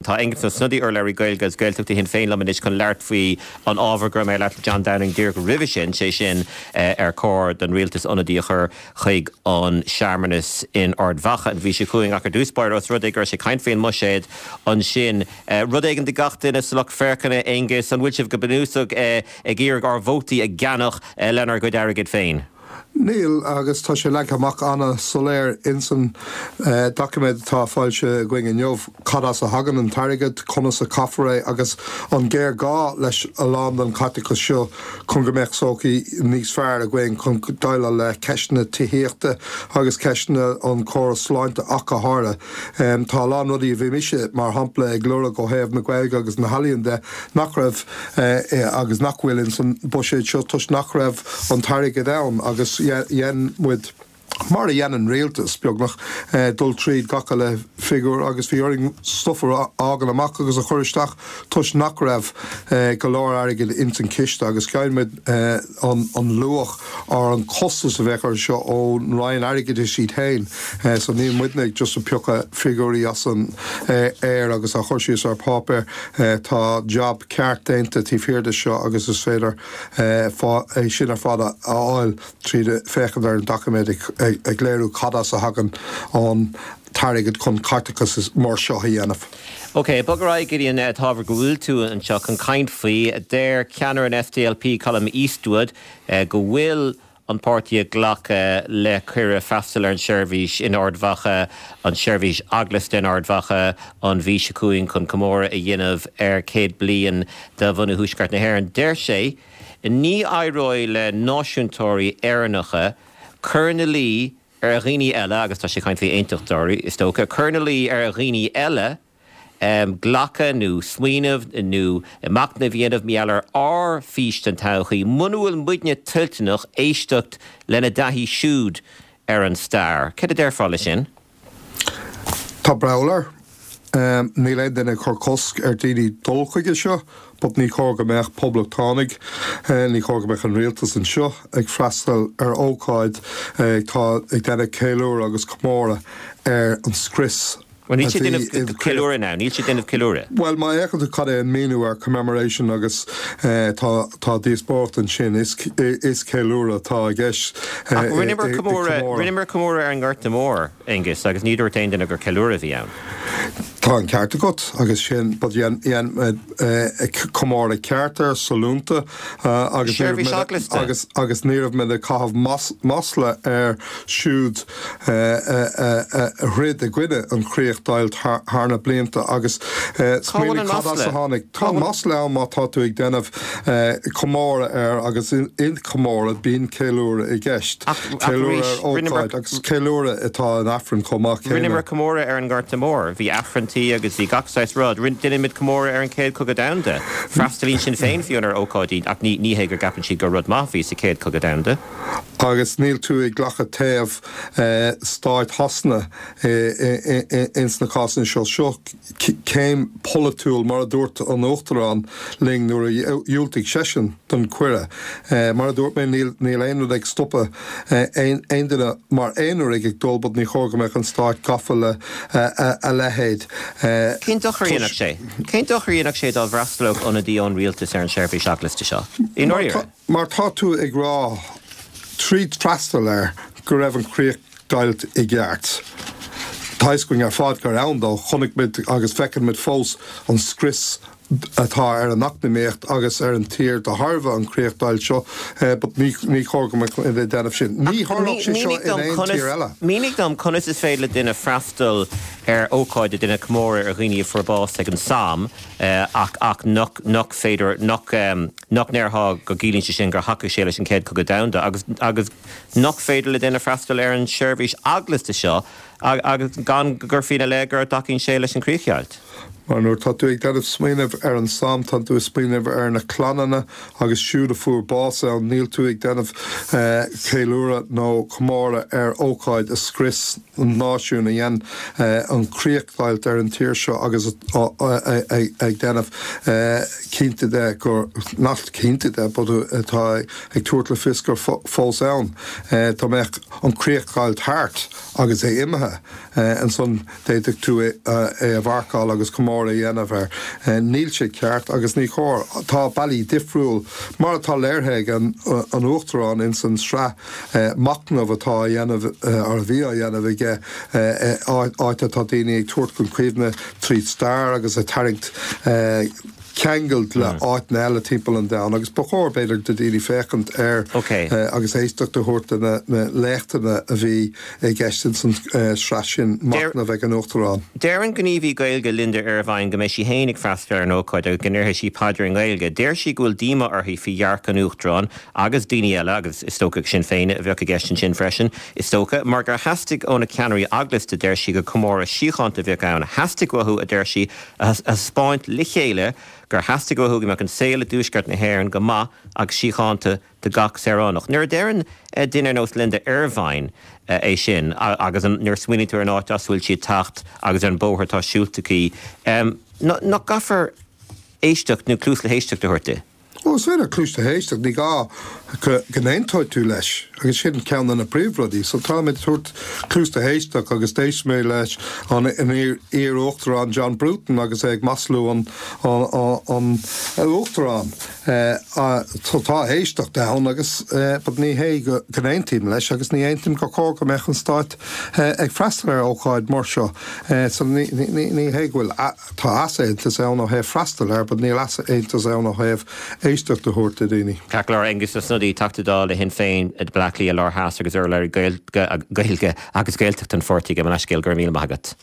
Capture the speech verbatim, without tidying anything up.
Tá Aengus Ó Snodaigh, urlabhraí Gaeilge agus Gaeltachta Shinn Féin, liom anois chun labhairt faoi an ábhar go raibh mé ag labhairt le John Downing díreach roimhe sin, sé sin ar chóir don rialtas ionadaí a chur chuig an searmanas in Ard Mhacha an mhí seo chugainn. Ach ar dtús báire, os rud é go raibh sé ag caint faoin mbuiséad ansin, rud éigin do gach duine sa lucht féachana, Aengus, an bhfuil sibh go bunúsach ag iarraidh ár vótaí a cheannach lenár gcuid airgid féin? Níl, agus tá sé leagtha amach an-soiléir insan doiciméad atá foilsithe againn inniu cad as a thagann an t-airgead, conas a caithfear é agus an géarghá leis a lán den chaiteachas seo chun go mbeadh sochaí níos fearr againn chun déileáil le ceisteanna tithíochta agus ceisteanna an chóras sláinte ach go háirithe. Tá a lán rudaí a bhí mise, mar shampla, ag lorg ó thaobh na Gaeilge agus na healaíon de nach raibh agus nach bhfuil insan buiséad seo toisc nach raibh an t-airgead ann agus dhein muid, mar a dhéanann rialtas, beagnach, dul tríd gach uile figiúr agus bhí orainn stuif a fhágáil amach agus a chur isteach toisc nach raibh go leor airgid ins an chiste agus gheibh muid an luach ar an chostas a bheadh air seo ón Roinn Airgeadais iad féin. So níl muidne ag just ag piocadh figiúirí as an aer agus á chur síos ar páipéar. Tá jab ceart déanta taobh thiar de seo agus is féidir é sin ar fad a fháil tríd féachaint ar an doiciméad ag léiriú cad as a thagann an t-airgead chun caiteachas mór seo a dhéanamh. Ok, bog ar aghaidh go dtí an t-ábhar go bhfuil tú anseo chun caint faoi. Deir ceannaire an S D L P, Colum Eastwood, go bhfuil an páirtí ag glacadh le cuireadh freastal ar an seirbhís in Ard Mhacha, an seirbhís eaglasta in Ard Mhacha an mhí seo chugainn chun comóradh a dhéanamh ar céad bliain de bhunú Thuaisceart na hÉireann. Deir sé ní éireoidh le náisiúntóirí Éireannacha cur ina luí ar dhaoine eile, agus tá sé ag caint faoi aontachtóirí is dócha, cur ina luí ar dhaoine eile um, glacadh nó smaoineamh nó machnamh a dhéanamh maidir ar ár bhfís den todhchaí, muna bhfuil muidne toilteanach éisteacht lena dtaithí siúd ar an stair. Cad a déarfá le sin? Tá breall air. Um, níl aon duine chur cosc ar daoine dul chuige seo, but ní chóir go mbeadh poblachtánaigh, uh, ní chóir go mbeadh an rialtas anseo ag freastal ar ócáid uh, tá ag déanamh ceiliúradh agus comóradh ar an scrios. Well, níl sé déanamh ceiliúradh now, níl sé déanamh ceiliúradh. Well, má fhéachann tú cad é an míniú ar commemoration agus uh, tá tá díospóireacht ansin, is is ceiliúradh atá i gceist. Rinneamar comóradh comóradh ar an nGorta Mór, Aengus, agus ní dúirt aon duine gur ceiliúradh a bhí ann. Tá an ceart agat agus sin comóradh ceart ar sollúnta agus agus agus ní raibh muid ag caitheamh masla air siúd a throid i gcoinne an chríochdheighilt thar na blianta agus tháinig Tá masla ann má tá tú ag déanamh comóradh air agus in comóradh bíonn ceiliúradh i gceist. Ceiliúradh agus ceiliúradh atá in Aifreann chomh maith. Rinneamar comóradh ar an nGorta Mór, bhí Aifrinntí agus bhí gach saghas rud. Rinneamar comóradh ar an Chéad Chogadh Domhanda. Freastalaíonn Sinn Féin fiú ar ócáidí ach ní ní hé go gceapann siad gur rud maith a bhí sa Chéad Chogadh Domhanda. Agus níl tú ag glacadh taobh stáit Shasana ins na cásanna seo. Seo céim polaitiúil, mar a dúirt an Uachtarán linn nuair a dhiúltaigh seisean don chuireadh. Mar a dúirt mé, níl aon rud ag stopadh aon duine mar aonar ag ag dul, but ní chóir go mbeadh an stát gafa le a leithéid. Cén dochar a dhéanfadh sé? Cén dochar a dhéanfadh sé dá bhfreastalódh ionadaí ón rialtas ar an seirbhís eaglasta seo? I ndáiríre? Mar tá tú ag rá tríd freastal air go raibh an chríochdheighilt i gceart. Tá a fhios againn ar fad gur ann dó. Chonaic muid agus feiceann muid fós an scrios atá ar an eacnamaíocht agus ar an tír de thairbhe an chríochdheighilt seo, but ní ní chóir go mbeadh déanamh sin. Ní tharlódh sé seo in aon tír eile. Mínigh dom conas is féidir le duine freastal ar ócáid ag déanamh comóradh ar dhaoine a fuair bás ag an Somme ach ach nach nach féidir nach nach ndéarfá go gciallaíonn sé sin gur thacaigh sé leis an Chéad Chogadh Domhanda agus agus nach féidir le duine freastal ar an seirbhís eaglasta seo agus gan go gcuirfí ina leith go dtacaíonn sé leis an chríochdheighilt. Mar nuair tá tú ag déanamh smaoineamh ar an Somme, tá tú ag smaoineamh ar na clanna agus siúd a fuair bás ann. Níl tú ag déanamh ceiliúradh nó comóradh ar ócáid a scrios an náisiún, a dhein an chríochdheighilt ar an tír seo agus ag déanamh cinnte de gur nach cinnte de but atá ag tabhairt le fios gur fós ann. Dá mbeadh an chríochdheighilt thart agus é imithe, ansan d'fhéadfadh tú é a mharcáil agus comóradh. mór a dhéanamh air. Níl sé ceart agus ní chóir tá bealaí difriúil mar atá léirithe ag an an Uachtarán in san sraith machnamh atá á dhéanamh ar a bhí á dhéanamh aige áit atá daoine ag tabhairt chun cuimhne tríd stair agus ag tarraingt ceangal le áiteanna eile timpeall an domhain agus ba chóir b'fhéidir do daoine féachaint air agus éisteacht a thabhairt do na léachtanna a bhí i gceist in san sraith sin machnamh ag an Uachtarán. Deir an gníomhaí Gaeilge Linda Ervine go mbeidh sí féin ag freastal ar an ócáid agus go ndéarfaidh sí paidir i nGaeilge. Deir sí go bhfuil díomá uirthi faoi dhearcadh an Uachtaráin agus daoine eile, agus is dócha Sinn Féin a bheadh i gceist ansin freisin, is dócha, mar gur theastaigh ó na ceannairí eaglasta, deir sí, gur comóradh síochánta a bheadh ann. Theastaigh uathu, a deir sí, a thaispeáint le chéile gur theastaigh uathu go mbeadh an saol i dtuaisceart na hÉireann go maith agus síochánta do gach saoránach. Nuair a deireann duine ar nós Linda Ervine é sin agus nuair a smaoiníonn tú ar an áit as a bhfuil sí ag teacht agus ar an bóthar atá siúlta aici, nach gcaithfear éisteacht nó cluas le héisteacht a thabhairt di? Ó, is féidir cluas le héisteacht, ní gá go n-aontóidh tú leis, agus sin ceann de na príomhrudaí. So táimid ag tabhairt cluas le héisteacht agus d'éist mé leis an iar-uachtarán John Bruton agus é ag maslú an uachtaráin. So tá éisteacht ann agus but ní hé go n-aontaím leis agus ní aontaím gur chóir go mbeadh an Stát ag freastal ar ócáid mar seo. So ní hé go bhfuil, tá easaontas ann ó thaobh freastal air but níl easaontas ann ó thaobh éisteacht a thabhairt do dhaoine. Ceart go leor, Aengus Ó Snodaigh, Teachta Dála Shinn Féin i Bleá Cliath Lár Theas agus urlabhraí Gaeilge agus Gaeltachta an pháirtí, gabh mo leithscéal, go raibh míle maith agat.